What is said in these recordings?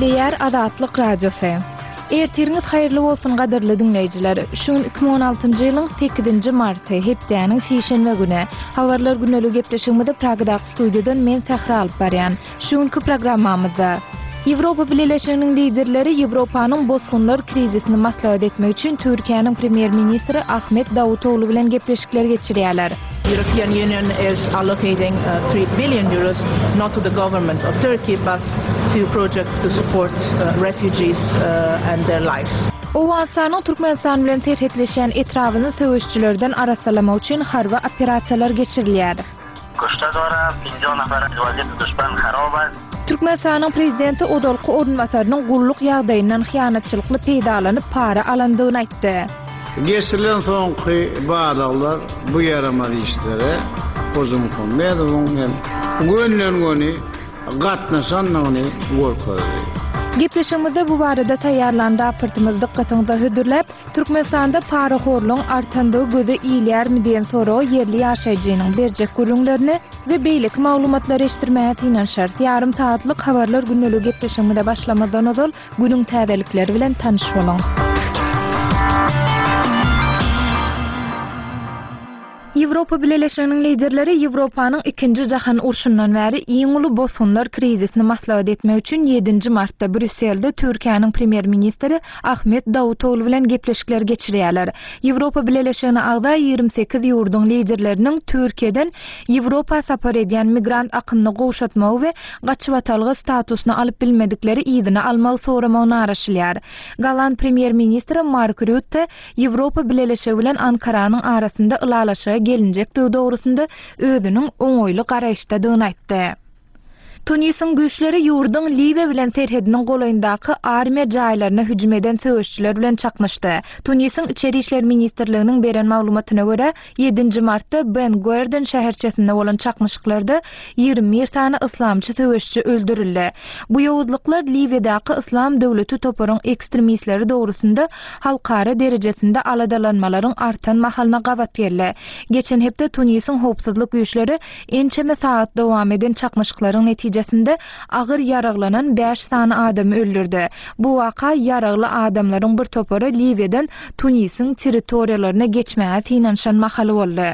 Gepleýär Azatlyk Radiosy. Ertiriňiz haýyrly bolsun gadyrly diňleýjiler. Şu gün 2016-njy ýylyň 8-nji marty, hepdäniň sişenbe güni. Habarlar gündeligi gepleşigimizi Pragadaky studiýadan men Sähra alyp barýan. Şu günki programmamyzda Ýewropa Bileleşiginiň liderleri Ýewropanyň bosgunlar krizisini maslahat etmek üçin Türkiýäniň premýer-ministri Ahmet Dawutoglu bilen gepleşikler geçirýärler. European Union is allocating three billion euros not to the government of Turkey but to projects to support refugees and their lives. Owganystanyň Türkmenistan bilen serhetleşýän etrabyny söweşijilerden arassalamak üçin harby operasiýalar geçirilýär. Kuşta dora, 50 nafar az waziyat duşman harob ast. Türkmenistanyň prezidenti ozalky orunbasarynyň gulluk ýagdaýyndan hyýanatçylykly peýdalanyp para alandygyny aýtdy. Geçirilen soňky barlaglar bu ýaramaz işlere Hojamuhammedowyň hem gönden-göni gatnaşandygyny görkezdi. Gepleşigimizde bu barada taýýarlan raportymyzy dykgatyňyza hödürläp, Türkmenistanda parahorlugyň artandygy göze ilýärmi diýen soraga ýerli ýaşaýjynyň berjek gürrüňlerini we beýleki maglumatlary eşitdirmäge synanyşarys. Ýarym sagatlyk Habarlar gündeligi gepleşigimize başlamazdan ozal, günüň täzelikleri bilen tanyş boluň. Ýewropa Bileleşiginiň liderleri Ýewropanyň Ikinji jahan urşundan bäri iň uly bosgunlar krizisini maslahat etmek üçin ýedinji martda Brýusselde Türkiýäniň premýer-ministri Ahmet Dawutoglu bilen gepleşikler geçirýärler. Ýewropa Bileleşigine agza 28 ýurduň liderleriniň Türkiýeden Ýewropa sapar edýän migrant akymyny gowşatmagy we gaçybatalga statusyny alyp bilmedikleri yzyna almagy soramagyna garaşylýar. Golland premýer-ministri Mark Rýutte Ýewropa Bileleşigi bilen Ankaranyň arasynda ylalaşyga gelinjekdigi dogrusynda özüniň oňaýly garaýyşdadygyny aýtdy. Tunisiň güýçleri ýurduň Liwiýa bilen serhediniň golaýyndaky armiýa jaýlaryna hüjüm eden söweşijiler bilen çaknyşdy. Tunisiň Içeri işler ministrliginiň beren maglumatyna görä, ýedinji martda Ben Guerden şäherçesinde bolan çaknyşyklarda 21 sany yslamçy söweşiji öldürildi. Bu ýowuzlyklar Liwiýadaky Yslam döwleti toparyň ekstremistleri dogrusynda halkara derejesinde aladalanmalaryň artan mahalyna gabat geldi. Geçen hepde Tunisiň howpsuzlyk güýçleri ençeme sagat dowam eden çaknyşyklaryň netijesinde agyr ýaraglanan bäş sany adamy öldürdi. Bu waka ýaragly adamlaryň bir topary Liwiýadan Tunisiň territoriýalaryna geçmäge synanyşan mahaly boldy.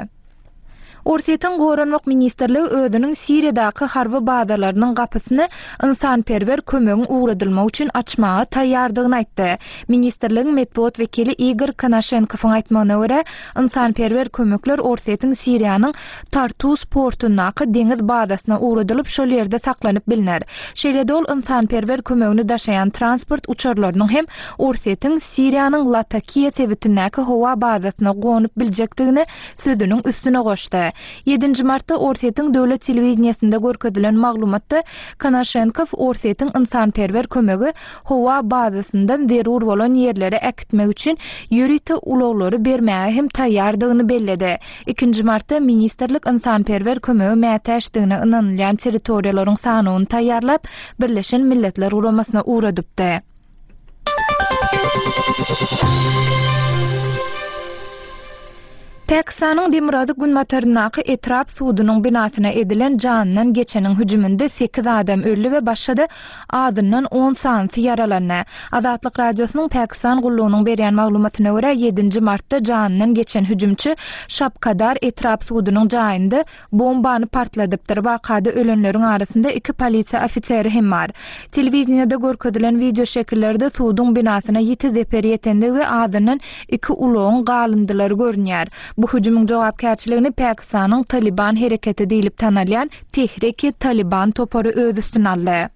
Orsýetiň Goranmak ministrligi özüniň Siriýadaky harby bazalarynyň gapysyny ynsanperwer kömegiň ugradylmagy üçin açmaga taýýardygyny aýtdy. Ministrligiň metbugat wekili Igor Konaşenkowyň aýtmagyna görä, ynsanperwer kömekler Orsýetiň Siriýanyň Tartus portundaky deňiz bazasyna ugradylyp, şol ýerde saklanyp bilner. Şeýle-de ol ynsanperwer kömegini daşaýan transport uçarlarynyň hem Orsýetiň Siriýanyň Latakiýa sebitindäki howa bazasyna gonup biljekdigini sözüniň üstüne goşdy. Ýedinji martda Orsýetiň döwlet telewideniýesinde görkezilen maglumatda Konaşenkow Orsýetiň ynsanperwer kömegi howa bazasyndan zerur bolan ýerlere äkitmek üçin ýörite ulaglary bermäge hem taýýardygyny belledi. Ikinji martda ministrlik ynsanperwer kömege mätäçdigine ynanylýan territoriýalaryň sanawyny taýýarlap, Birleşen Milletler Guramasyna ugradypdy. Pakistanyň demirgazyk-günbataryndaky etrap sudunyň binasyna edilen janyndan geçeniň hüjüminde sekiz adam öldi we başga-da azyndan on sanysy ýaralandy. Azatlyk Radiosynyň Pakistan gullugynyň berýän maglumatyna görä, ýedinji martda janyndan geçen hüjümçi Şabkadar etrap sudunyň jaýynda bombany partladypdyr. Wakada ölenleriň arasynda iki polisiýa ofiseri hem bar. Telewideniýede görkezilen wideoşekillerde suduň binasyna ýiti zeper ýetendigi we azyndan iki ulagyň galyndylary görünýär. Bu hüjümiň jogapkärçiligini Pakistanyň Talyban hereketi diýlip tanalýan Tehreki-Talyban topary öz üstüne aldy.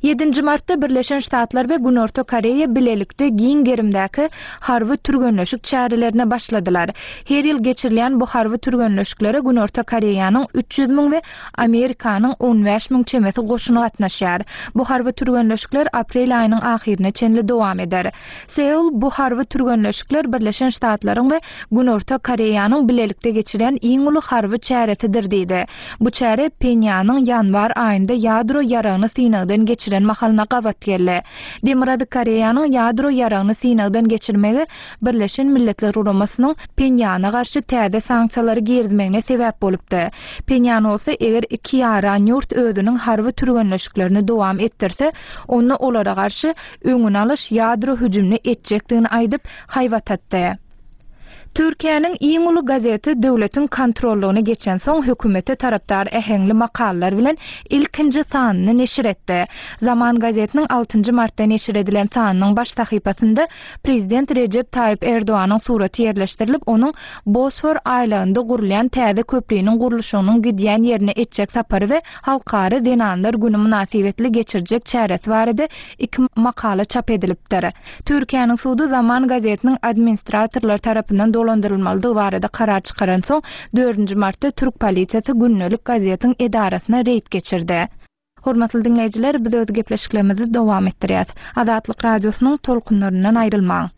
Ýedinji martda Birleşen Ştatlar we Günorta Koreýa bilelikde giň gerimdäki harby türgenleşik çärelerine başladylar. Her ýyl geçirilýän bu harby türgenleşiklere Günorta Koreýanyň 300 müň we Amerikanyň 15 müň çemesi goşuny gatnaşýar. Bu harby türgenleşikler aprel aýynyň ahyryna çenli dowam eder. Seul bu harby türgenleşikler Birleşen Ştatlaryň we Günorta Koreýanyň bilelikde geçirýän iň uly harby çäresidir diýdi. Bu çäre Phenýanyň ýanwar aýynda ýadro ýaragyny synagdan geçirmegi. geçiren mahalyna gabat geldi. Demirgazyk Koreýanyň ýadro ýaragyny synagdan geçirmegi Birleşen Milletler Guramasynyň Phenýana garşy täze sanksiýalary girizmegine sebäp bolupdy. Phenýan bolsa eger iki ýaran ýurt özüniň harby türgenleşiklerini dowam etdirse, onda olara garşy öňüni alyş ýadro hüjümini etjekdigini aýdyp, haýbat atdy. Türkiýäniň iň uly gazeti döwletiň kontrollygyna geçensoň hökümete tarapdar äheňli makalalar bilen ilkinji sanyny neşir etdi. Zaman gazetiniň altynjy martda neşir edilen sanynyň baş sahypasynda prezident Rejep Taýyp Erdoganyň suraty ýerleşdirilip, onuň Bosfor aýlagynda gurulýan täze köpriniň gurluşygynyň gidýän ýerine etjek sapary we Halkara zenanlar güni mynasybetli geçirjek çäresi barada iki makala çap edilipdir. Türkiýäniň sudy Zaman gazetiniň administratorlar tarapyndan dolandyrylmalydygy barada karar çykaransoň, dördünji martda türk polisiýasy gündelik gazetiň edarasyna reýd geçirdi. Hormatly diňleýjiler, biz öz gepleşiklerimizi dowam etdirýäs. Azatlyk Radiosynyň tolkunlaryndan aýrylmaň!